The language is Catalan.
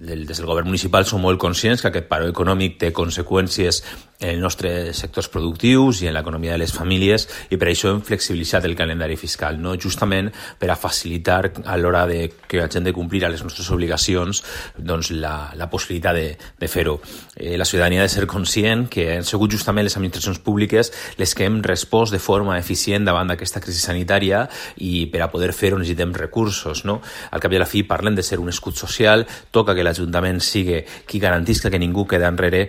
des del govern municipal som molt conscients que aquest paro econòmic té conseqüències en els nostres sectors productius i en l'economia de les famílies, i per això hem flexibilitzat el calendari fiscal, no? Justament per a facilitar a l'hora de que hagin de complir a les nostres obligacions doncs, la possibilitat de fer-ho. La ciutadania ha de ser conscient que han sigut justament les administracions públiques les que hem respost de forma eficient davant d'aquesta crisi sanitària, i per a poder fer-ho necessitem recursos, no? Al cap i a la fi parlem de ser un escut social, toca que l'Ajuntament sigui qui garantisca que ningú queda enrere,